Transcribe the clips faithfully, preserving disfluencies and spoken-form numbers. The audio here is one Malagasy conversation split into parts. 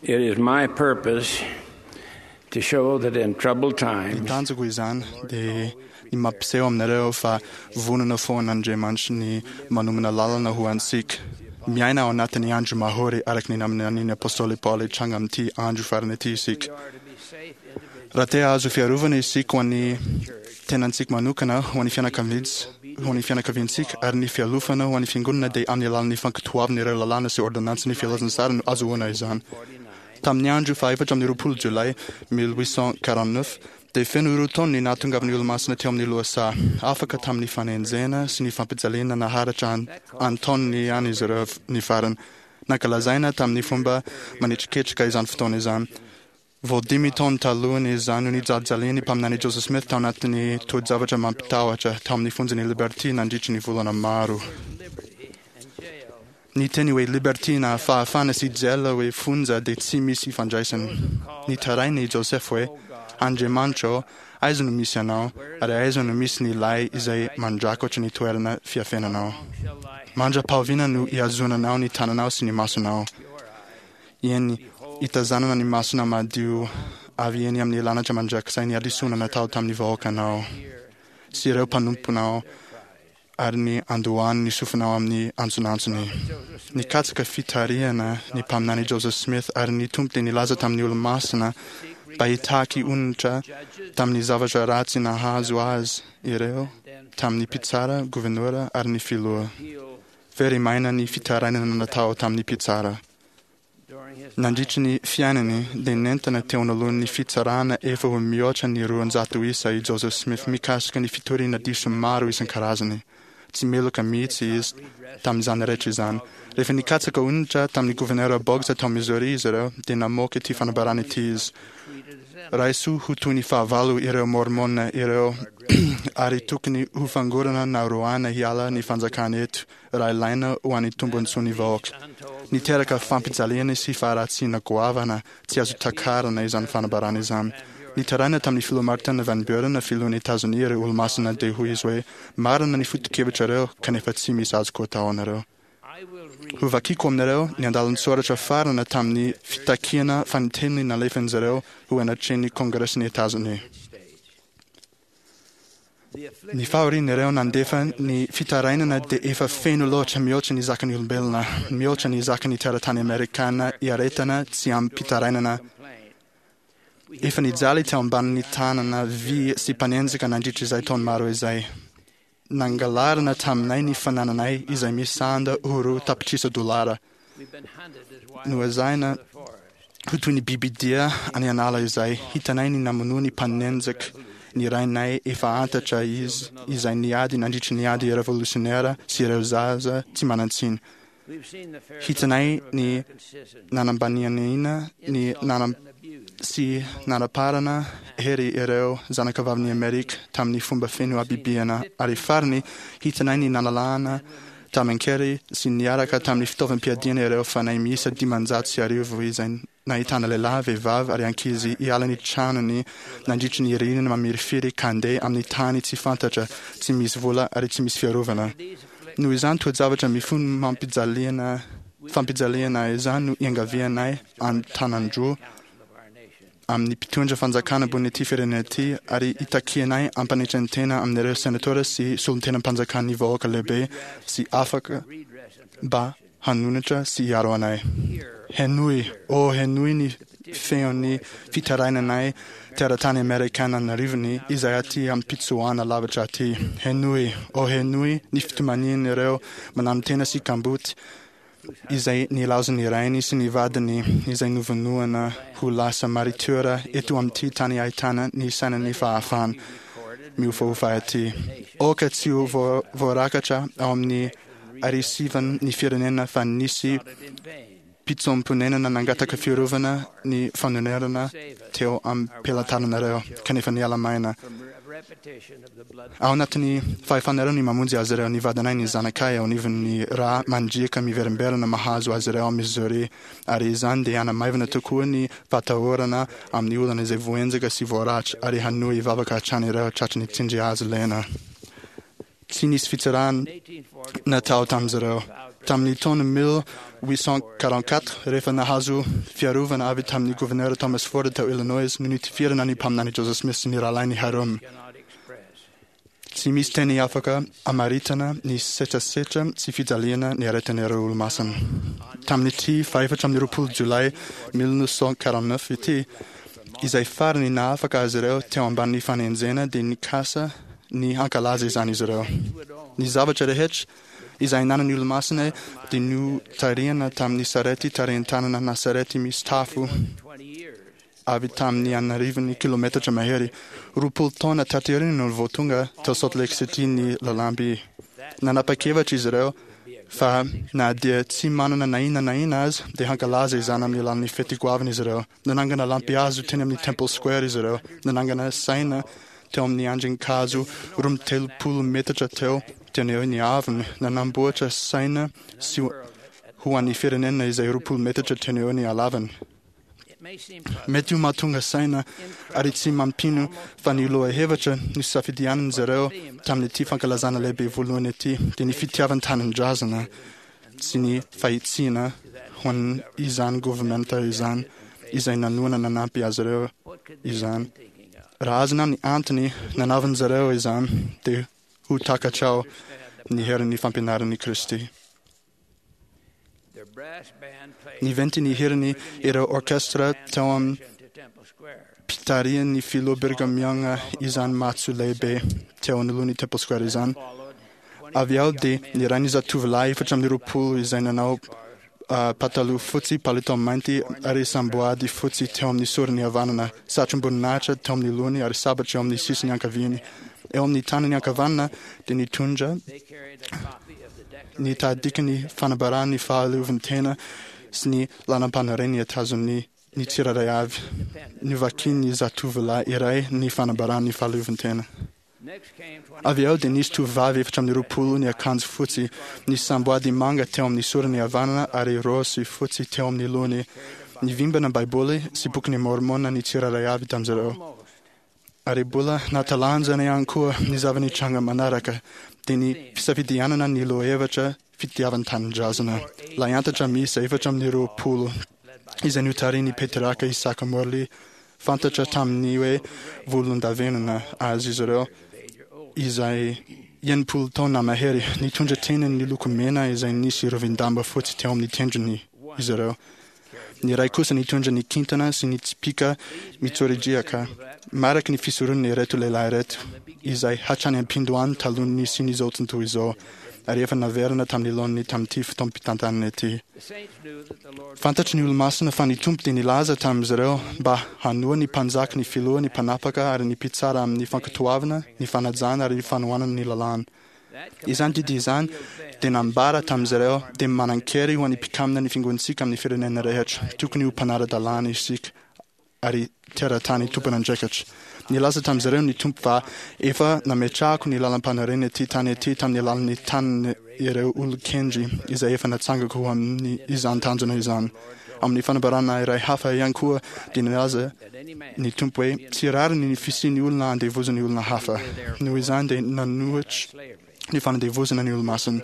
It is my purpose to show that in troubled Ny times, tanjoko izany dia ny mampiseho aminareo fa vonona foana Andriamanitra ny manomana lalana ho antsika. Miaina ao anatin'ny andro mahory araka ny naminanian'ny Apôstôly Paoly hitranga amin'ity andro farany ity isika. Raha te hahazo fiarovana isika ho an'ny tenantsika manokana, ho an'ny fianakaviantsika, ho an'ny fianakaviantsika ary ny fialofana ho an'ny fiangonana dia amin'ny alalan'ny fankatoavana ireo lalàna sy ôrdônansin'ny filazantsara no azahoana izany. Tamin'ny andro fahaefatra amby roapolo Jolay mille huit cent quarante-neuf dia feno roa taona ny nahatongavan'ny Olomasina teo amin'ny lohasaha. Afaka tamin'ny fanenjehana sy ny fampijaliana naharitra an-taoniny ihany izy ireo ny farany. Nankalazaina tamin'ny fomba manetriketrika izany fotoana izany. Vao dimy taona talohan' izany no nijalijalian'ny mpaminany Joseph Smith tao anatin'ny toe-javatra mampitahotra tao amin'ny fonjan'i Liberty nandritry ny volana maro. Ny teny hoe Liberty na fahafahana sy jail hoe fonja dia tsy misy ifandraisany. Nitaraina i Joseph hoe, Andriamanitra ô, aiza no misy anao, ary aiza no misy ny lay izay mandrakotra ny toerana fiafenanao? Mandra-pahoviana no ihazonanao ny tananao sy ny masonao? Eny, hitazanana ny masona madio avy eny amin'ny lanitra mandrakizay ny hadisoana natao tamin'ny vahoakanao sy ireo mpanomponao ary ny andohany ny sofinao amin'ny antsonantsony. Nikatsaka fitarihana ny mpaminany Joseph Smith ary ny Tompo dia nilaza tamin'ny Olomasina mba hitaky onitra tamin'ny zavatra ratsy nahazo azy ireo tamin'ny mpitsara, governora ary ny filoha. Very maina ny fitarainana natao tamin'ny mpitsara. Nandritry ny fiainany dia nentina teo anoloan'ny fitsarana efa ho mihoatra ny roanjato isa i Joseph Smith mikasika ny fitoriana diso maro isan-karazany. Tsy meloka mihitsy izy tamin'izany rehetra izany. Rehefa nikatsaka onitra tamin'ny governora Boggs tao Missouri izy ireo dia namoaka ity fanambarana ity izy. Raiso ho toy ny fahavalo ireo Mormona ireo ary tokony ho fangorana na roahina hiala ny fanjakana eto raha ilaina ho an'ny tombontsoan'ny vahoaka. Niteraka fampijaliana sy faharatsiana goavana tsy azo takarina izany fanambarana izany. Nitaraina tamin'ny filoha Martin Van Buren, filohan'i Etazonia ireo Olomasina dia hoy izy hoe, Marina ny foto-kevitrareo kanefa tsy misy azoko atao anareo. Hovakiko aminareo ny andalan-tsoratra farany tamin'ny fitakiana fanintelony nalefan'izy ireo ho anatrehan'ny Kongresin'i Etazonia. Ny fahorian'ireo nandefa ny fitarainana dia efa feno loatra mihoatra ny zakan'ny olombelona, mihoatra ny zakan'ny teratany amerikana iaretana tsy amim-pitarainana. Efa nijaly teo ambanin'ny tanana vy sy mpanenjika nandritra izay taona maro izay. Nangalarina taminay ny fanananay izay misanda ho roa tapitrisa dolara. Noezahina ho toy ny bibidia any an'ala izay hitanay ny namonoan'ny mpanenjika ny rainay efa antatra izy izay niady nandritry ny ady revolisiônera sy ireo zaza tsy manan-tsiny. Hitanay ny nanambaniana ny nanam sy nanaparana hery ireo zanakavavin'i Amerika tamin'ny fomba feno habibiana ary farany hitanay ny nanalana tamin-kery sy niaraka tamin'ny fitaovam-piadiana ireo fanahy miisa dimanjato sy arivo izay nahitana lehilahy, vehivavy ary ankizy hiala ny tranony nandritry ny ririnina mamirifiry ka handeha amin'ny tany tsy fantatra, tsy misy vola ary tsy misy fiarovana. Noho izany toe-javatra mifono mampijaliana fampijaliana izany no iangavianay an-tanan-droa amin'ny mpitondra fanjakana ambony ity firenena ity ary itakianay ampanetren-tena amin'ireo senatora sy solontenam-panjakan'ny vahoaka lehibe sy afaka mba hanonitra sy hiaro anay. Henoy, ô henoy ny feon'ny fitarainanay teratany amerikana an'arivony izay aty am-pitsoahana lavitra aty. Henoy, ô henoy ny fitomanian'ireo mananotena sy kamboty izay nilaozan'ny rainy sy ny vadiny izay novonoana ho lasa maritiora eto amin'ity tany ahitana ny sainan'ny fahafahana miofaofa aty. Aoka tsy ho voarakatra ao amin'ny arisivan'ny firenena fa nisy mpitsoam-ponenana nangataka fiarovana ny fanonerana teo am-pelatananareo kanefa niala maina. Ao anatin'ny fahefanareo ny mamonjy azy ireo, ny vadinay, ny zanakay ao anivon'ny rà mandriaka miverimberina mahazo azy ireo ao Missouri, ary izany dia hanamaivana tokoa ny fahatahorana amin'ny olana izay voaenjaka sy voaratra ary hanohy hivavaka hatrany ireo tratry ny tsindry hazo lena. Tsy nisy fitsarana natao tamin'izy ireo. Tamin'ny taona mille huit cent quarante-quatre, rehefa nahazo fiarovana avy tamin'ny gouverneur Thomas Ford tao Illinois no nitifirana ny mpaminany Joseph Smith sy ny rahalahiny Hyrum. Tsy misy teny afaka amaritana ny setrasetra sy fijaliana ny aretin'ireo olomasina. Tamin'ity fahefatra amby roapolo jolay mille neuf cent quarante-neuf ity, izay farany nahafaka azy ireo teo ambanin'ny fanenjehana, dia nikasa ny hankalaza izany izy ireo. Ny zavatra rehetra izay nanan'ny olomasina dia notarihana tamin'ny sarety tarihin-tanana na sarety misy tafo avy tamin'ny anarivony kilometatra mahery. Roapolo taona taty aoriana no vao tonga tao Salt Lake City ny lalamby. Nanapa-kevitra izy ireo fa na dia tsy manana na inona na inona aza dia hankalaza izany amin'ny alalan'ny fety goavana izy ireo. Nanangana lampihazo teny amin'ny Temple Square izy ireo. Nanangana saina teo amin'ny andrin-kazo roa amby telopolo metatra teo teny eo ny avony. Nanamboatra saina sy ho an'ny firenena izay roapolo metatra teny eo ny halavany. Mety ho mahatonga saina ary tsy mampino fa ny lohahevitra nosafidianan'izy ireo tamin'ity fankalazana lehibe voalohany ity dia ny fitiavan-tanindrazana sy ny fahitsiana ho an'izany governemanta izany izay nanohana nanampy azy ireo izany. Raha azonao ny antony nanaovan'izy ireo izany dia ho takatrao ny herin'ny fampianaran'i Kristy. Niventy ny heriny ireo orkestra teo amin'ny mpitarihan'ny filoha Brigham Young izany matso lehibe teo anoloan'ny Temple Square izany. Avy eo dia niray ny zatovolahy efatra amby roapolo izay nanao uh, pataloha fotsy, palitao mainty ary samboady fotsy teo amin'ny sorony havanana, satrom-boninahitra teo amin'ny lohany ary sabatra eo amin'ny sisiny ankaviany. Eo amin'ny tanany ankavanana dia nitondra ny tahadikan'ny fanambarany fahaleovantena sy ny lalam-panorenana tazon'ny ny tsirairay avy. Novakian'ny zatovolahy iray ny fanambarany fahaleovantena. Avy eo dia nisy tovovavy efatra amby roapolo ny akanjo fotsy, nisy samboady manga teo amin'ny sorony havanana ary raozy fotsy teo amin'ny lohany. Nivimbina Baiboly sy bokin'ny Mormona ny tsirairay avy tamin'izy ireo. Ary mbola natalanjana ihany koa ny zava-nitranga manaraka dia ny fisafidianana ny lohahevitra fitiavan-tanindrazana. Lahiantatra miisa efatra amby roapolo izay notarihin'ny Petraka Isaka Morley, fantatra tamin'ny hoe volondavenona azy izy ireo, izay enimpolo taona mahery, nitondra teny ny loko mena izay nisy rovin-damba fotsy teo amin'ny tendrony izy ireo. Ny iray kosa nitondra ny kintana sy ny tsipìka mitsoridriaka. Mariky ny fisoronana ireto lehilahy ireto, izay hatrany am-pindohany talohan'ny nisian'izao tontolo izao, ary efa naverina tamin'ny laoniny tamin'ity fotoam-pitantanana ity. Fantatry ny olomasina fa ny Tompo dia nilaza tamin'izy ireo mba hanoa ny mpanjaka, ny filoha, ny mpanapaka ary ny mpitsara amin'ny fankatoavana, ny fanajana ary ny fanohanana ny lalàna. Izany didy izany dia nambara tamin'izy ireo dia manan-kery ho an'ny mpikamina ny fiangonantsika amin'ny firenena rehetra. Tokony ho mpanara-dalàna isika ary teratany tompon'andraikitra. Nilaza tamin'izy ireo ny Tompo fa efa nametrahako ny lalam-panorenana ity tany ity tamin'ny alalan'ny tanin' ireo olon-kendry izay efa natsangako ho amin'ny izany tanjona izany. Amin'ny fanambarana iray hafa ihany koa dia nilaza ny Tompo hoe tsy rariny ny fisian'ny olona andevozan'ny olona hafa. Noho izany dia nanohitra ny fanandevozana ny olomasina.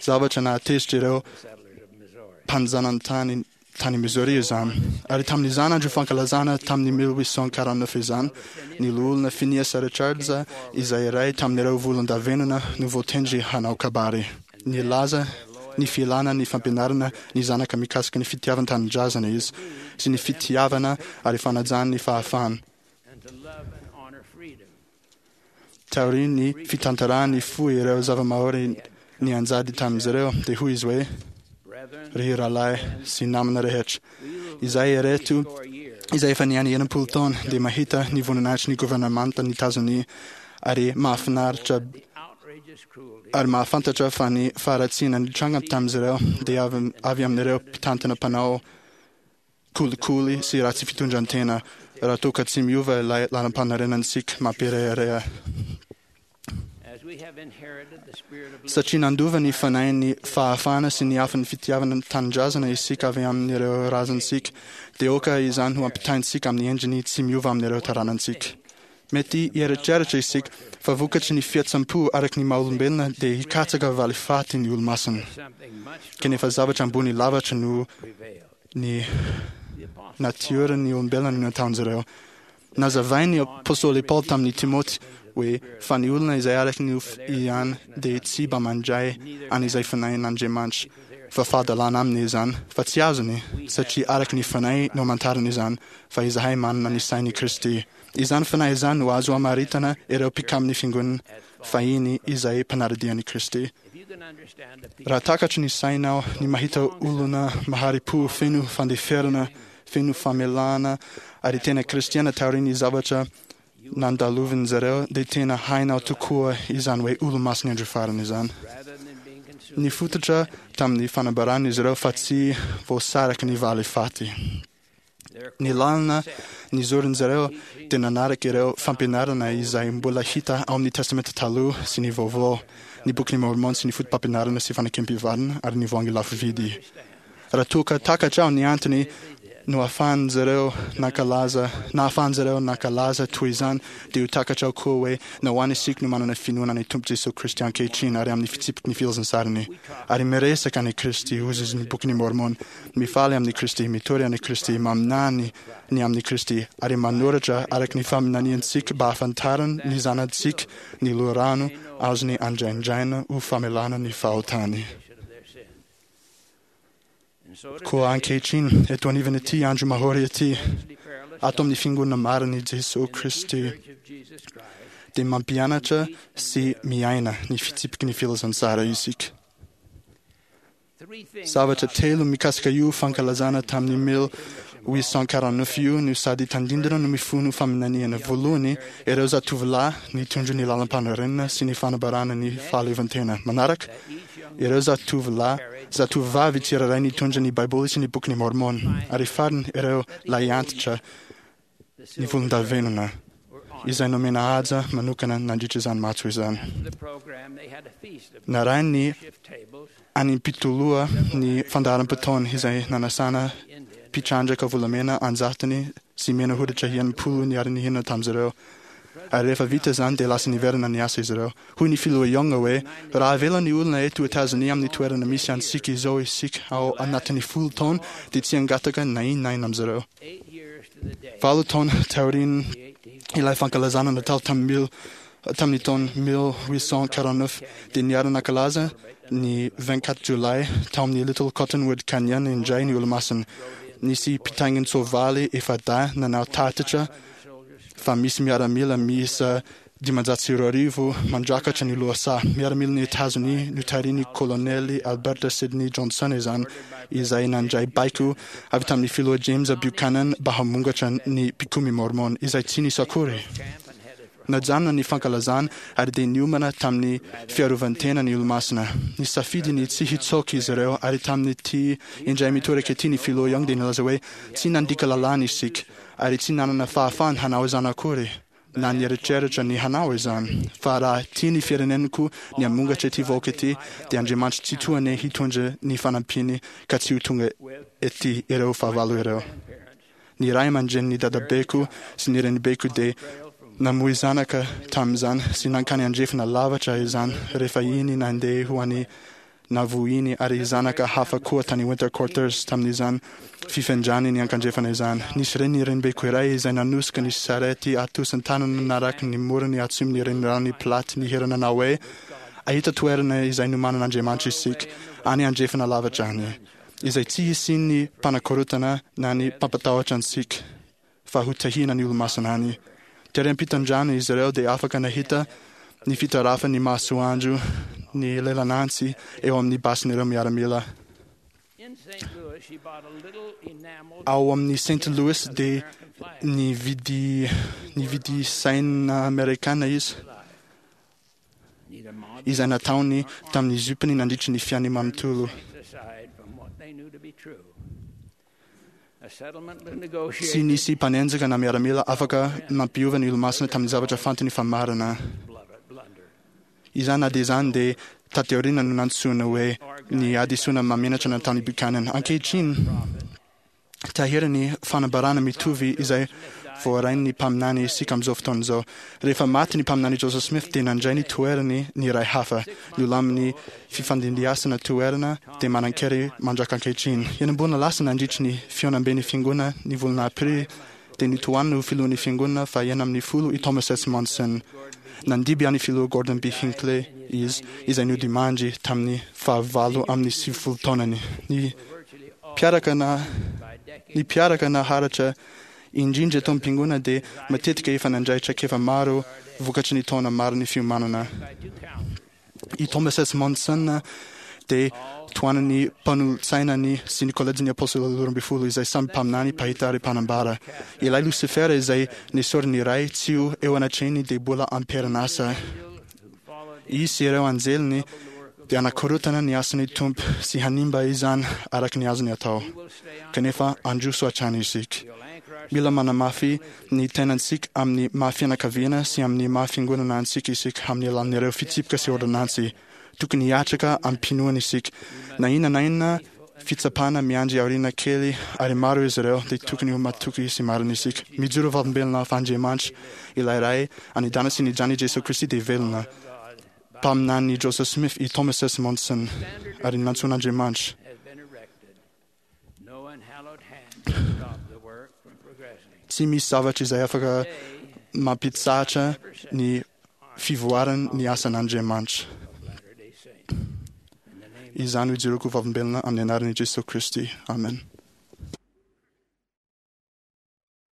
Zavatra nahatezitra ireo mpanjanantany tany Missouri izany. Ary tamin'izany andro fankalazana tamin'ny mille huit cent quarante-neuf izany, ny loholona Phineas Richards izay iray tamin'ireo volondavenona no voatendry hanao kabary. Nilaza ny filana ny fampianarana ny zanaka mikasika ny fitiavan-tanindrazana izy sy ny fitiavana ary fanajana ny fahafahana. Taorian'ny fitantarany fo ireo zava-mahory ny anjady tamin'izy ireo, dia hoy izy hoe: Ry rahalahy sy namana rehetra, izay ireto izay efa niaina enimpolo taona dia mahita ny voninahitry ny governemanta nitazony ary mahafinaritra ary mahafantatra fa ny faharatsiana nitranga tamin'izy ireo dia avy, avy amin'ireo mpitantana mpanao kolikoly sy ratsy fitondran-tena raha toa ka tsy miova ilay lalam-panorenantsika mampirehareha. Satria nandova ny fanahin'ny fahafahana sy ny afon'ny fitiavana ny tanindrazana isika avy amin'ireo razantsika, dia aoka izany ho ampitaintsika amin'ny endriny tsy miova amin'ireo taranantsika. Mety hieritreritra isika fa vokatry ny fihetseham-po araka ny maha-olombelona dia hikatsaka valifaty ny Olomasina. Kanefa zavatra ambony lavitra noho ny natioran'ny olombelona no nataon'izy ireo. Nazavain'ny Apostoly Paoly tamin'i Timoty hoe fa ny olona izay araka ny nofo ihany dia tsy mba mandray an'izay Fanahin'Andriamanitra, fa fahadalana aminy izany, fa tsy azony, satria araka ny Fanahy no amantarany izany, fa izahay manana ny sain'i Kristy. Izany Fanahy izany no azo amaritana ireo mpikamin'ny Fiangonana fahiny izay mpanara-dia an'i Kristy. Raha takatry ny sainao ny mahita olona mahari-po feno fandeferana, feno famelana ary tena kristiana taorian'ny zavatra nandalovin'ny zareo, dia tena hainao tokoa izany hoe Olomasin'ny Andro Farany izany. Nifototra tamin'ny fanambarana izy ireo fa tsy voasaraky ny valifaty. Ny lalana nizorin'ny zareo dia nanaraka ireo fampianarana izay mbola hita ao amin'ny Testamenta Taloha sy ny Vaovao, ny Bokin'i Môrmôna sy ny Fotopampianarana sy Fanekempihavanana ary ny Voahangy Lafo Vidy. Raha toa ka takatrao ny antony noahafahan'ny zareo nankalaza, nahafahan'ny zareo nankalaza toy izany, dia ho takatrao koa hoe nahoana isika no manana finoana an'i Tompo Jesoa Kristy ankehitriny ary amin'ny fitsipiky ny filazantsariny ary miresaka an'i Kristy, hozy izy ny Bokin'i Môrmôna. Mifaly amin'i Kristy, mitory an'i Kristy, maminany ny amin'i Kristy, ary manoratra araka ny faminaniantsika mba hahafantarany ny zanatsika ny loharano azony andraindraina ho famelana ny fahotany. Koa ankehitriny, eto anivon'ity andro mahory ity, ato amin'ny Fiangonana marin'i Jesoa Kristy, dia mampianatra sy miaina ny fitsipiky ny filazantsara isika. Zavatra telo mikasika io fankalazana tamin'ny mille huit cent quarante-neuf io no sady tandindona no mifono faminaniana. Voalohany, ireo zatovolahy nitondra ny lalam-panorenana sy ny fanambarana ny fahaleovantena. Manaraka, ireo zatovolahy, zatovovavy tsirairay nitondra ny Baiboly sy ny Bokin'i Môrmôna. Ary farany, ireo lahiantitra ny volondavenona, izay nomena haja manokana nandritra izany matso izany. Narahin'ny any-mpitoloha ny fandaharam-potoana izay nanasana mpitrandraka volamena an-jatony sy mena hoditra enimpolo niara-nihinana tamin'izy ireo. Ary rehefa vita izany dia lasa niverina niasa izy ireo. Hoy ny Filoha Young hoe, Raha avela ny olona eto Etazonia amin'ny toerana misy antsika izao isika ao anatin'ny folo taona dia tsy hangataka na inona na inona amin'izy ireo. Valo taona taorian' ilay fankalazana natao tamin'ny mille tamin'ny taona mille huit cent quarante-neuf dia niara-nankalaza ny vingt-quatre jolay tao amin'ny Little Cottonwood Canyon indray ny Olomasina. Nisy mpitaingin-tsoavaly efa-dahy nanao tatitra fa misy miaramila miisa dimanjato sy roa arivo mandrakatra ny lohasaha. Miaramilan'i Etazonia notarihin'ny Kolonely Albert Sidney Johnson izany, izay nandray baiko avy tamin'ny Filoha James Buchanan mba hamongatra ny mpikomy Mormon, izay tsy nisy akory. Najanona ny fankalazana ary dia niomana tamin'ny fiarovan-tena ny Olomasina. Nisafidy ny tsy hitsoaka izy ireo, ary tamin'ity indray mitoraka ity ny Filoha Young dia nilaza hoe, Tsy nandika lalàna isika, ary tsy nanana fahafahana hanao izany akory, na nieritreritra ny hanao izany, fa raha tia ny fireneniko ny hamongatra ity vahoaka ity, dia Andriamanitra Tsitoha anie hitondra ny fanampiany ka tsy ho tonga ety ireo fahavalo ireo. Ny ray aman-drenin'ny dadabeko sy ny renibeko dia namoy zanaka tamin'izany sy nankany andrefana lavatra izany rehefa iny nandeha ho any Navohiny ary zanaka hafa koa tany Winter Quarters tamin'izany fifindrany niankandrefana izany. Nisy reny renibeko iray izay nanosika ny sarety atosin-tanana naraky ny morony atsimon'ny reniranon'i Platte nihira nanao hoe, Ahita toerana izay nomanan'Andriamanitra isika, any andrefana lavitra any, izay tsy hisian'ny mpanakorontana na ny mpampatahotra antsika, fa ho tahiana ny Olomasina any. Tery am-pitondrana izy ireo dia afaka nahita ny fitarafan'ny masoandro ny lelan'antsy eo amin'ny basin'ireo miaramila. Ao amin'ny Saint Louis dia nividy nividy saina amerikana izy, izay nataony tamin'ny zipony nandritry ny fiainany manontolo. Tsy nisy mpanenjika na miaramila afaka nampiova ny Olomasina tamin'ny zavatra fantany fa marina. Izany na dia izany dia taty aoriana no nantsoina hoe ny hadisoana mahamenatra nataon'i Buchanan. Ankehitriny, Tahiry ny fanambarana mitovy izay voarain'ny mpaminany isika amin'izao fotoana izao. Rehefa maty ny mpaminany Joseph Smith dia nandray ny toerany ny iray hafa. Nolamin'ny fifandimbiasana toerana dia manan-kery mandraka ankehitriny. Enim-bolana lasa nandritry ny fihaonamben'ny fiangonana ny volana aprily dia notohanina ho filohan'ny fiangonana fahenina ambin'ny folo i Thomas S. Monson. Nandimby an'ny filoha Gordon B. Hinckley izy izay nodimandry tamin'ny fahavalo amin'ny sivifolo taonany. Ny mpiaraka na ny mpiaraka naharitra indrindra eto am-piangonana dia matetika efa nandray traikefa maro vokatry ny taona maro ny fiomanana. I Thomas S. Monson dia tohanan'ny mpanolotsainany sy ny kolejin'ny apôstôly roa ambin'ny folo izay samy mpaminany, mpahita ary mpanambara. Ilay Losifera izay nesorin'ny Ray tsy ho eo anatrehiny dia mbola am-perinasa. Izy sy ireo anjeliny dia hanakorotana ny asan'ny Tompo sy hanimba izany araka ny azony atao. Kanefa handroso hatrany isika. Mila manamafy ny tenantsika amin'ny maha fianakaviana sy amin'ny maha fiangonana antsika isika amin'ny alalan'ireo fitsipika sy ôrdônansy. Tokony hiatraka amim-pinoana isika. Na inona na inona fitsapana miandry aoriana kely ary maro izy ireo dia tokony ho matoky sy marina isika. Mijoro vavolombelona fa Andriamanitra, ilay Ray any an-danitra sy ny Zanany Jesoa Kristy dia velona. Mpaminany Joseph Smith i Thomas S. Monson ary nantsoin'Andriamanitra. Has been erected. No unhallowed hand can stop the work from progressing. Tsy misy zavatra izay afaka mampitsahatra ny fivoarany ny asan'Andriamanitra. Of Latter-day Saints. In the name Izany ho ijoroako vavolombelona amin'ny anaran'i Jesoa Kristy. Amen.